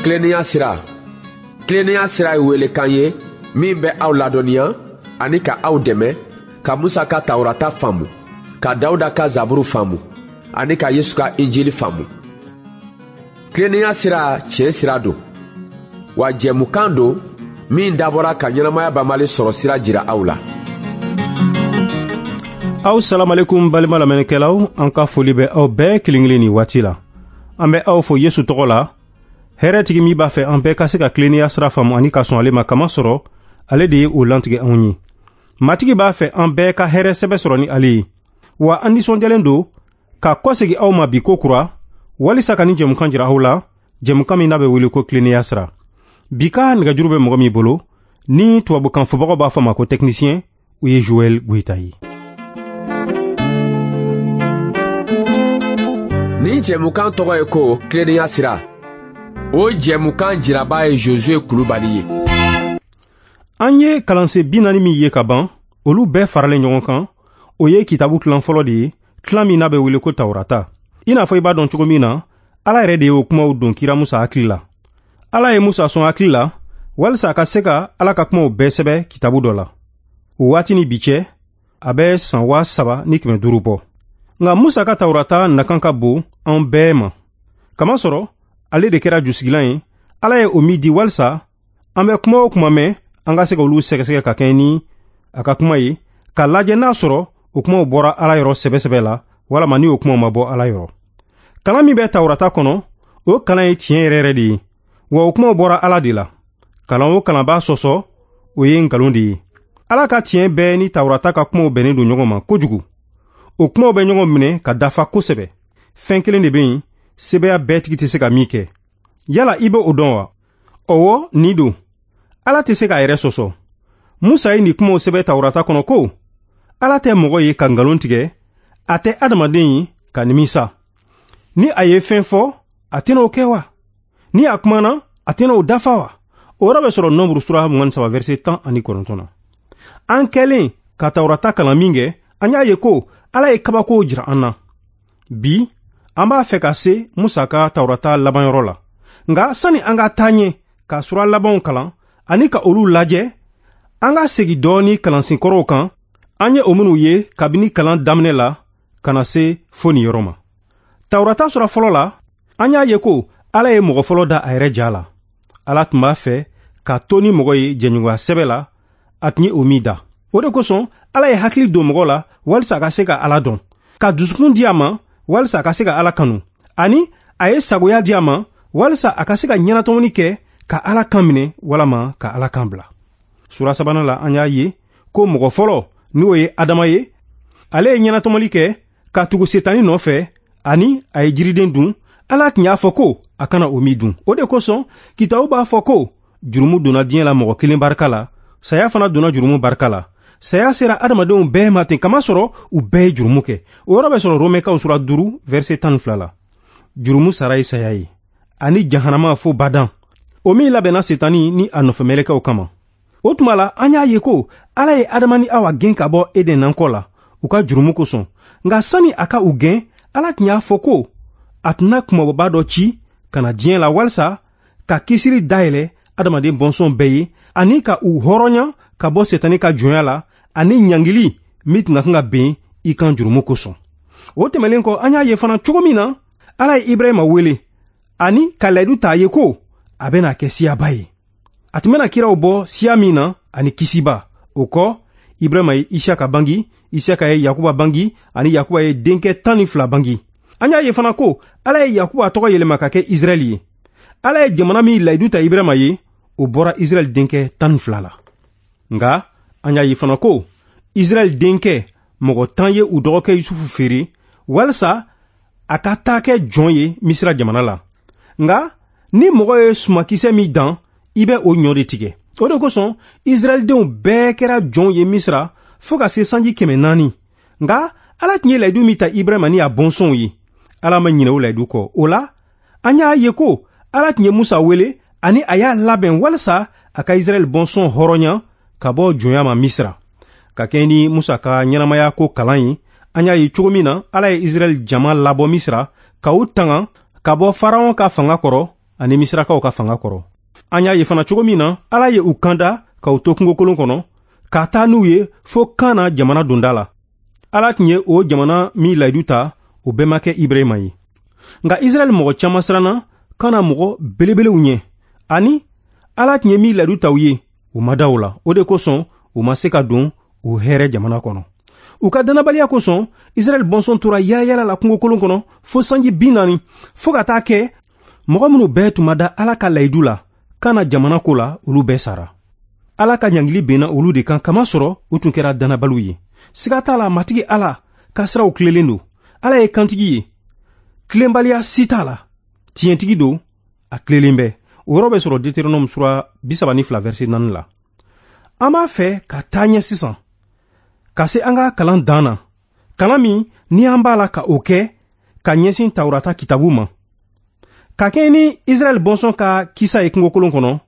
Tilennenya sira. Tilennenya sira ye welekan ye min bɛ aw ladɔnniya ani ka aw dɛmɛ ka Musa ka Tawurata faamu, ka Dawuda ka Zaburu faamu ani ka Yesu ka Injili faamu. Tilennenya sira tiɲɛ sira don, wa jɛmukan don min dabɔra ka ɲɛnamaya banbali sɔrɔ sira jira aw la. Aw salamalekum balima lamɛnnikɛlaw, an ka foli bɛ aw bɛɛ kelen kelen nin waati la. An bɛ aw fo Yesu tɔgɔ la, hɛrɛtigi min b'a fɛ an bɛɛ ka se ka tilennenya sira faamu ani ka sɔn ale ma, kamasɔrɔ ale de ye o lantigɛ anw ye. Matigi b'a fɛ an bɛɛ ka hɛrɛ sɛbɛ sɔrɔ ni ale ye. Wa an nisɔndiyalen don ka kɔsegi aw ma bi ko kura, walisa ka nin jɛmukan jira aw la, jɛmukan min n'a bɛ wele ko tilennenya sira. Bi ka nɛgɛjuru bɛ mɔgɔ min bolo, ni tubabukan fɔbagaw b'a fɔ ma ko technicien, o ye Joël Goïta ye. Nin jɛmukan tɔgɔ ye ko tilennenya sira. O jɛmukan jiraba ye Josue Kulubali ye. An ye kalansen 40 min ye ka ban, olu bɛɛ faralen ɲɔgɔn kan, o ye kitabu tilan fɔlɔ de ye, tilan min n'a bɛ wele ko Tawurata. I n'a fɔ i b'a dɔn cogo min na, Ala yɛrɛ de y'o kumaw don kira Musa hakili la. Ala ye Musa sɔn hakili la, walisa a ka se ka Ala ka kumaw bɛɛ sɛbɛ kitabu dɔ la. O waati ni bi cɛ, a bɛ san 3500 bɔ. Nka Musa ka Tawurata nakan ka bon an bɛɛ ma. Kamasɔrɔ, ale de kɛra jusigilan ye, Ala ye o min di walisa an bɛ kuma o kuma mɛn, an ka se ka olu sɛgɛsɛgɛ ka kɛɲɛ ni a ka kuma ye, k'a lajɛ n'a sɔrɔ o kumaw bɔra Ala yɔrɔ sɛbɛ-sɛbɛ la, walama ni o kumaw ma bɔ Ala yɔrɔ. Kalan min bɛ Tawurata kɔnɔ, o kalan ye tiɲɛ yɛrɛ yɛrɛ de ye, wa o kumaw bɔra Ala de la. Kalan o kalan b'a sɔsɔ, o ye nkalon de ye. Ala ka tiɲɛ bɛɛ ni Tawurata ka kumaw bɛnnen don ɲɔgɔn ma kojugu. O kumaw bɛ ɲɔgɔn minɛ ka dafa kosɛbɛ. Fɛn kelen de bɛ yen, sebeya bɛɛ tigi tɛ se ka min kɛ. Yala i bɛ o dɔn wa? Ɔwɔ, nin don. Ala tɛ se k'a yɛrɛ sɔsɔ. Musa ye nin kumaw sɛbɛn Tawurata kɔnɔ ko, Ala tɛ mɔgɔ ye ka nkalon tigɛ, a tɛ adamaden ye ka nimisa. Ni a ye fɛn fɔ, a tɛna o kɛ wa? Ni a kumana, a tɛna o dafa wa? O yɔrɔ bɛ sɔrɔ Nombre sura 23 verset 19 na. An kɛlen ka Tawurata kalan min kɛ, an y'a ye ko Ala ye kabakow jira an na. Bi, an b'a fɛ ka se Musa ka Tawurata labanyɔrɔ la. Nka sani an ka taa ɲɛ ka sura labanw kalan ani ka olu lajɛ, an ka segin dɔɔni kalansen kɔrɔw kan, an ye o minnu ye kabini kalan daminɛ la ka na se fo nin yɔrɔ ma. Tawurata sura fɔlɔ la, an y'a ye ko Ala ye mɔgɔ fɔlɔ da a yɛrɛ ja la. Ala tun b'a fɛ ka to ni mɔgɔ ye jɛɲɔgɔnya sɛbɛ la, a tun ye o min da. O de kosɔn Ala ye hakili don mɔgɔ la walisa a ka se ka Ala dɔn, ka dusukun di a ma walisa a ka se ka Ala kanu, ani a ye sagoya di a ma walisa a ka se ka ɲɛnatɔmɔni kɛ ka Ala kan minɛ walama ka Ala kan bila. Sura sabanan la, an y'a ye ko mɔgɔ fɔlɔ, n'o ye Adama ye, ale ye ɲɛnatɔmɔli kɛ ka tugu Setani nɔfɛ, ani a ye jiriden dun. Ala tun y'a fɔ ko a kana o min dun. O de kosɔn kitabu b'a fɔ ko jurumu donna diɲɛ la mɔgɔ kelen barika la, saya fana donna jurumu barika la. Saya sera adamadenw bɛɛ ma ten, kamasɔrɔ u bɛɛ ye jurumu kɛ. O yɔrɔ bɛ sɔrɔ Romɛkaw sura 5 verset 12 la. Jurumu sara ye saya ye, ani jahanama fo badan, o min labɛnna Setani ni a nɔfɛmɛlɛkɛw kama. O tuma la, an y'a ye ko Ala ye Adama ni Awa gɛn ka bɔ Eden nankɔ la u ka jurumu kosɔn. Nka sani a ka u gɛn, Ala tun y'a fɔ ko a tɛna kumabɔba dɔ ci ka na diɲɛ la walisa ka kisiri dayɛlɛ adamaden bɔnsɔn bɛɛ ye, ani ka u hɔrɔnya ka bɔ Setani ka jɔnya la, ani ɲangili min tun ka kan ka ben i kan jurumu kosɔn. O tɛmɛlen kɔ, an y'a ye fana cogo min na Ala ye Ibrahima wele ani ka layidu ta a ye ko a bɛna kɛ siyaba ye. A tun bɛna kiraw bɔ siya min na ani kisiba. O kɔ, Ibrahima ye Isaka bangi, Isaka ye Yakuba bangi, ani Yakuba ye denkɛ 12 bangi. An y'a ye fana ko Ala ye Yakuba tɔgɔ yɛlɛma ka kɛ Israɛl ye. Ala ye jamana min layidu ta Ibrahima ye, o bɔra Israɛl denkɛ 12 la. Nka an y'a ye fana ko Israɛl denkɛ mɔgɔ 10 ye u dɔgɔkɛ Yusufu feere walisa a ka taa kɛ jɔn ye Misira jamana la. Nka ni mɔgɔ ye sumakisɛ min dan, i bɛ o ɲɔ de tigɛ. O de kosɔn Israɛldenw bɛɛ kɛra jɔnw ye Misira fo ka se sanji 400. Nka Ala tun ye layidu min ta Ibrahima ni a bɔnsɔnw ye, Ala ma ɲinɛ o layidu kɔ. O la, an y'a ye ko Ala tun ye Musa wele ani a y'a labɛn walisa a ka Israɛl bɔnsɔn hɔrɔnya ka bɔ jɔnya ma Misira. Ka kɛɲɛ ni Musa ka ɲɛnamaya ko kalan ye, an y'a ye cogo min na Ala ye Israɛl jama labɔ Misira ka u tanga ka bɔ Faraon ka fanga kɔrɔ. ani Misirakaw ka fanga kɔrɔ. An y'a ye fana cogo min na Ala ye u kanda k'u to kungokolon kɔnɔ, ka taa n'u ye fo Kana jamana donda la. Ala tun ye o jamana min layidu ta, o bɛnbakɛ Ibrahima ye. Nka Israɛl mɔgɔ caman siranna Kana mɔgɔ belebelew ɲɛ, ani Ala tun ye min layidu ta u ye, u ma da o la. O de kosɔn u ma se ka don o hɛrɛ jamana kɔnɔ. U ka dannabaliya kosɔn, Israɛl bɔnsɔn tora yaala la kungokolon kɔnɔ fo sanji 40, fo ka taa kɛ mɔgɔ minnu bɛɛ tun ma da Ala ka layidu la Kana jamana ko la, olu bɛɛ sara. Ala ka ɲangili benna olu de kan, kamasɔrɔ u tun kɛra dannabaliw ye. Siga t'a la, Matigi Ala ka siraw tilelen don. Ala ye kantigi ye, tilenbaliya si t'a la. Tiɲɛtigi don, a tilelen bɛ. O yɔrɔ bɛ sɔrɔ Deutéronome sura 32 verset 4 la. An b'a fɛ ka taa ɲɛ sisan, ka se an ka kalan dan na, kalan min ni an b'a la ka o kɛ ka ɲɛsin Tawurata kitabu ma. Ka kɛɲɛ ni Israɛl bɔnsɔn ka kisa ye kungokolon kɔnɔ,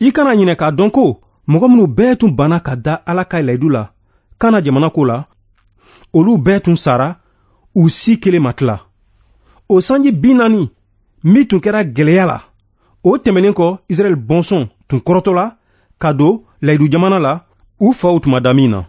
i kana ɲinɛ k'a dɔn ko mɔgɔ minnu bɛɛ tun banna ka da Ala ka layidu la Kana jamana ko la, olu bɛɛ tun sara, u si kelen ma tila. O sanji 40 min tun kɛra gɛlɛya la, o tɛmɛnen kɔ, Israɛl bɔnsɔn tun kɔrɔtɔla ka don layidu jamana la, u faw tun ma da min na.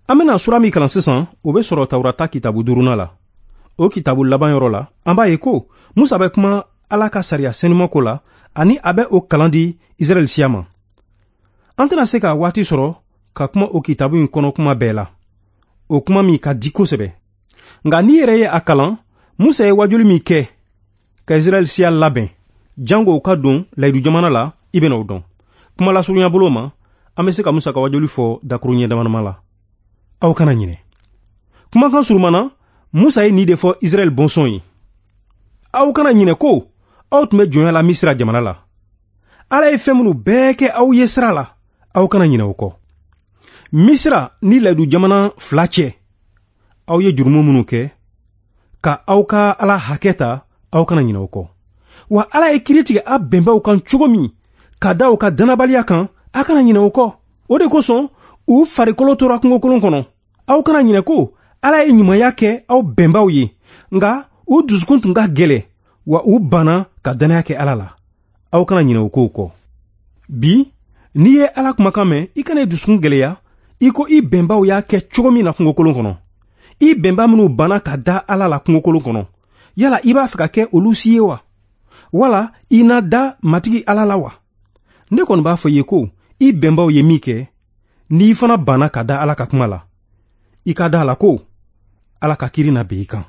An bɛna sura min kalan sisan, o bɛ sɔrɔ Tawurata kitabu 5nan la. O kitabu laban yɔrɔ la, an b'a ye ko Musa bɛ kuma Ala ka sariya senuma ko la, ani a bɛ o kalan di Israɛl siya ma. An tɛna se ka waati sɔrɔ ka kuma o kitabu in kɔnɔ kuma bɛɛ la, o kuma min ka di kosɛbɛ. Nka n'i yɛrɛ ye a kalan, Musa ye wajuli min kɛ ka Israɛl siya labɛn jango u ka don layidu jamana la, i bɛna o dɔn. Kuma lasurunya bolo ma, an bɛ se ka Musa ka wajuli fɔ dakuruɲɛ damadama la. Aw kana ɲinɛ. Kumakan surumana, Musa ye nin de fɔ Israɛl bɔnsɔn ye. Aw kana ɲinɛ ko aw tun bɛ jɔnya la Misira jamana la. Ala ye fɛn minnu bɛɛ kɛ aw ye sira la, aw kana ɲinɛ o kɔ. Misira ni layidu jamana fila cɛ, aw ye jurumu minnu kɛ, ka aw ka Ala hakɛ ta, aw kana ɲinɛ o kɔ. Wa Ala ye kiiri tigɛ a bɛnbaw kan cogo min, ka da u ka dannabaliya kan, a kana ɲinɛ o kɔ. O de kosɔn u farikolo tora kungokolon kɔnɔ. Aw kana ɲinɛ ko Ala ye ɲumanya kɛ aw bɛnbaw ye, nka u dusukun tun ka gɛlɛn, wa u banna ka dannaya kɛ Ala la. Aw kana ɲinɛ o kow kɔ. Bi, n'i ye Ala kumakan mɛn, i kana i dusukun gɛlɛya i ko i bɛnbaw y'a kɛ cogo min na kungokolon kɔnɔ. I bɛnba minnu banna ka da Ala la kungokolon kɔnɔ, yala i b'a fɛ ka kɛ olu si ye wa? Wala i na da Matigi Ala la wa? Ne kɔni b'a fɔ i ye ko i bɛnbaw ye min kɛ, n'i fana banna ka da Ala ka kuma la, i ka da a la ko Ala ka kiiri na bin i kan.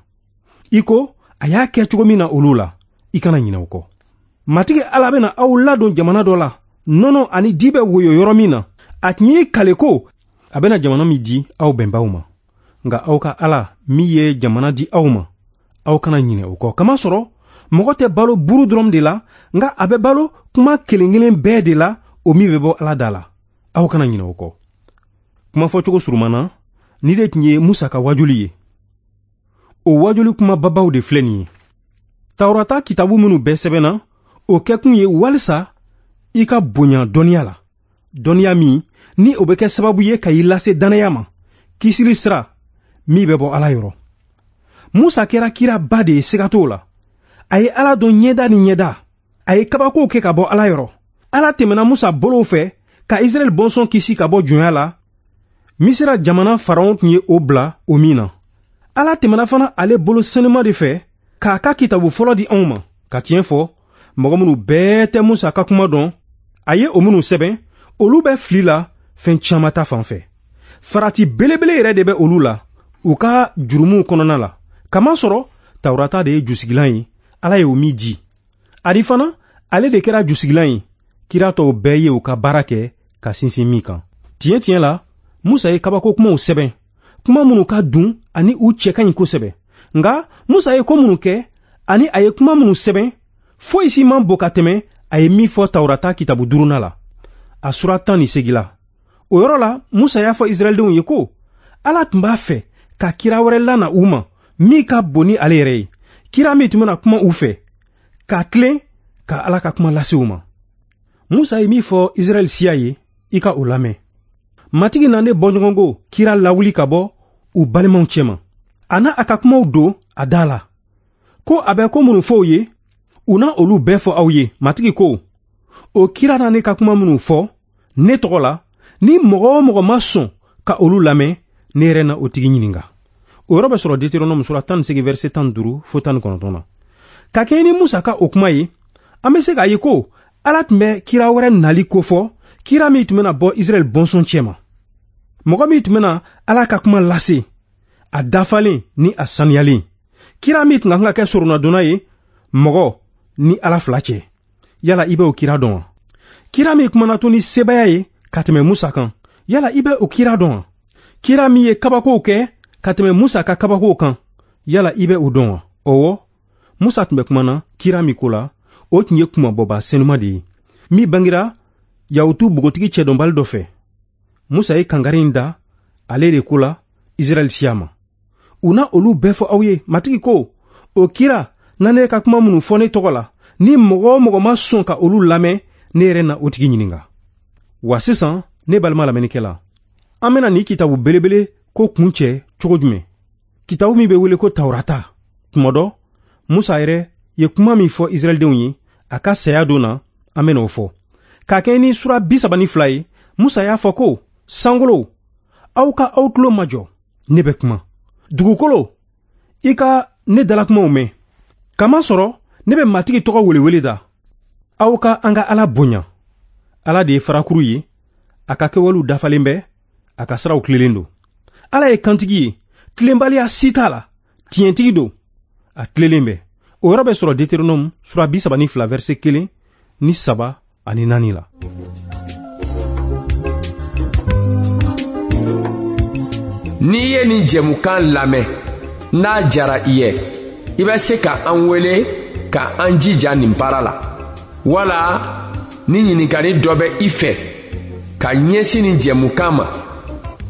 I ko a y'a kɛ cogo min na olu la, i kana ɲinɛ o kɔ. Matigi Ala bɛna aw ladon jamana dɔ la, nɔnɔ ani di bɛ woyo yɔrɔ min na. A tun y'i kale ko a bɛna jamana min di aw bɛnbaw ma. Nka aw ka Ala min ye jamana di aw ma, aw kana ɲinɛ o kɔ. Kamasɔrɔ mɔgɔ tɛ balo buru dɔrɔn de la, nka a bɛ balo kuma kelen kelen bɛɛ de la, o min bɛ bɔ Ala da la. Aw kana ɲinɛ o kɔ. Kuma fɔcogo surumana, ni de tun ye Musa ka wajuli ye. O wajuli kuma babaw de filɛ nin ye. Tawurata kitabu minnu bɛɛ sɛbɛnna, o kɛkun ye walisa i ka bonya dɔnniya la. Dɔnniya min ni o bɛ kɛ sababu ye ka i lase dannaya ma, kisili sira min bɛ bɔ Ala yɔrɔ. Musa kɛra kiraba de ye, siga t'o la. A ye Ala dɔn ɲɛda ni ɲɛda. A ye kabakow kɛ ka bɔ Ala yɔrɔ. Ala tɛmɛna Musa bolow fɛ ka Israɛl bɔnsɔn kisi ka bɔ jɔnya la. Misira jamana Faraon tun ye o bila o min na. Ala tɛmɛna fana ale bolo senuma de fɛ k'a ka kitabu fɔlɔ di anw ma. Ka tiɲɛ fɔ, mɔgɔ minnu bɛɛ tɛ Musa ka kuma dɔn, a ye o minnu sɛbɛn, olu bɛ fili la fɛn caman ta fan fɛ. Farati belebele yɛrɛ de bɛ olu la u ka jurumuw kɔnɔna la. Kamasɔrɔ Tawurata de ye jusigilan ye, Ala ye o min di. Ani fana ale de kɛra jusigilan ye, kira tɔw bɛɛ ye u ka baara kɛ ka sinsin min kan. Tiɲɛ tiɲɛ la, Musa ye kabako kumaw sɛbɛn, kuma minnu ka dun ani u cɛ ka ɲi kosɛbɛ. Nka Musa ye ko minnu kɛ ani a ye kuma minnu sɛbɛn, foyi si man bon ka tɛmɛ a ye min fɔ Tawurata kitabu 5nan la, a sura 18 la. O yɔrɔ la, Musa y'a fɔ Israɛldenw ye ko Ala tun b'a fɛ ka kira wɛrɛ lana u ma min ka bon ni ale yɛrɛ ye, kira min tun bɛna kuma u fɛ, ka tilen ka Ala ka kuma lase u ma. Musa ye min fɔ Israɛl siya ye, i ka o lamɛn. Matigi na ne bɔɲɔgɔnko kira lawuli ka bɔ u balimaw cɛma. A n'a a ka kumaw don a da la, ko a bɛ ko minnu fɔ u ye, U na olu bɛɛ fɔ aw ye. Matigi ko, o kira na ne ka kuma minnu fɔ ne tɔgɔ la, ni mɔgɔ o mɔgɔ ma sɔn ka olu lamɛn, ne yɛrɛ na o tigi ɲininka. O yɔrɔ bɛ sɔrɔ Deutéronome sura 18 verset 15 fo 19 na. Ka kɛɲɛ ni Musa ka o kuma ye, an bɛ se k'a ye ko Ala tun bɛ kira wɛrɛ nali kofɔ, kira min tun bɛna bɔ Israɛl bɔnsɔn cɛma, mɔgɔ min tun bɛna Ala ka kuma lase a dafalen ni a saniyalen, kira min tun ka kan ka kɛ soronadonna ye mɔgɔ ni Ala fila cɛ. Yala i bɛ o kira dɔn wa? Kira min kumana to ni sebaaya ye ka tɛmɛ Musa kan, yala i bɛ o kira dɔn wa? Kira min ye kabakow kɛ ka tɛmɛ Musa ka kabakow kan, yala i bɛ o dɔn wa? Ɔwɔ, Musa tun bɛ kumana kira min ko la, o tun ye kunmabɔba senuma de ye, min bangera Yahutu bogotigi cɛdɔnbali dɔ fɛ. Musa ye kangari in da ale de ko la Israɛl siya ma. U na olu bɛɛ fɔ aw ye. Matigi ko, o kira na ne ka kuma minnu fɔ ne tɔgɔ la, ni mɔgɔ o mɔgɔ ma sɔn ka olu lamɛn, ne yɛrɛ na o tigi ɲininka. Wa sisan, ne balima lamɛnnikɛla, an bɛna nin kitabu belebele ko kun cɛ cogo jumɛn? Kitabu min bɛ wele ko Tawurata. Tuma dɔ, Musa yɛrɛ ye kuma min fɔ Israɛldenw ye a ka saya don na, an bɛna o fɔ. K'a kɛ ni sura 32 ye, Musa y'a fɔ ko, sankolo, aw ka aw tulo majɔ, ne bɛ kuma. Dugukolo, i ka ne dalakumaw mɛn. Kamasɔrɔ ne bɛ Matigi tɔgɔ welewele da. Aw ka an ka Ala bonya. Ala de ye farakuru ye, a ka kɛwalew dafalen bɛ, a ka siraw tilelen don. Ala ye kantigi ye, tilenbaliya si t'a la, tiɲɛtigi don, a tilelen bɛ. O yɔrɔ bɛ sɔrɔ Deutéronome sura 32 verset 1 ni 3 ani 4 la. N'i ye nin jɛmukan lamɛn, n'a jara i ye, i bɛ se ka an wele ka an jija nin baara la. Wala ni ɲininkali dɔ bɛ i fɛ ka ɲɛsin nin jɛmukan ma,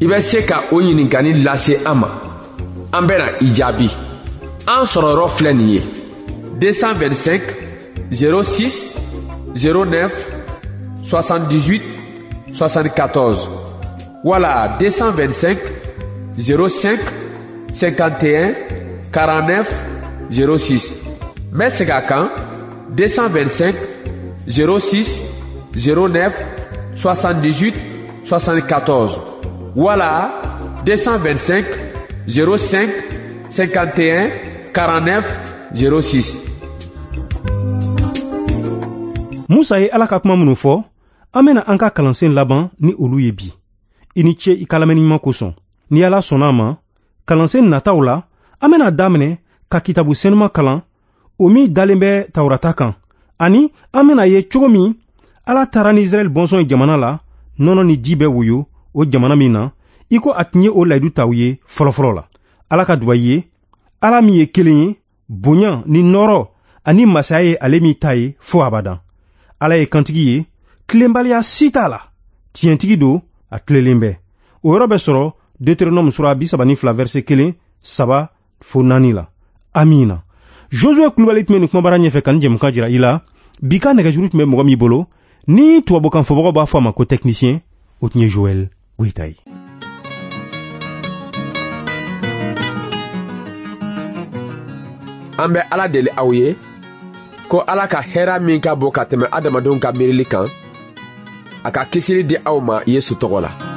i bɛ se ka o ɲininkali lase an ma. An bɛna i jaabi. An sɔrɔ yɔrɔ filɛ nin ye: 225 06 09 78 74 wala 225 05 51 49 06. N bɛ segin a kan: 225 06 09 78 74 wala 225 05 51 49 06. Musa ye Ala ka kuma minnu fɔ, an bɛna an ka kalansen laban ni olu ye bi. I ni ce i ka lamɛnni ɲuman kosɔn. Ni Ala sɔnna a ma, kalansen nataw la, an bɛna daminɛ ka kitabu senuma kalan, o min dalen bɛ Tawurata kan, ani an bɛna ye cogo min Ala taara ni Israɛl bɔnsɔn ye jamana la, nɔnɔ ni ji bɛ woyo o jamana min na, i ko a tun ye o layidu ta u ye fɔlɔfɔlɔ la. Ala ka duba i ye, Ala min ye kelen ye, bonya ni nɔɔrɔ ani masaya ye ale min ta ye fo abadan. Ala ye kantigi ye, tilenbaliya si t'a la, tiɲɛtigi don, a tilelen bɛ. O yɔrɔ bɛ sɔrɔ Deutéronome sura 32 verset 1, 3 fo 4 la. Amina. Josué Kulubali tun bɛ nin kumabara ɲɛfɛ ka nin jɛmukan jira i la. Bi ka nɛgɛjuru tun bɛ mɔgɔ min bolo, ni tubabukan fɔbagaw b'a fɔ a ma ko technicien, o tun ye Joël Goyita ye. An bɛ Ala deli aw ye ko Ala ka hɛra min ka bon ka tɛmɛ adamadenw ka miirili kan, a ka kisili di aw ma Yesu tɔgɔ la.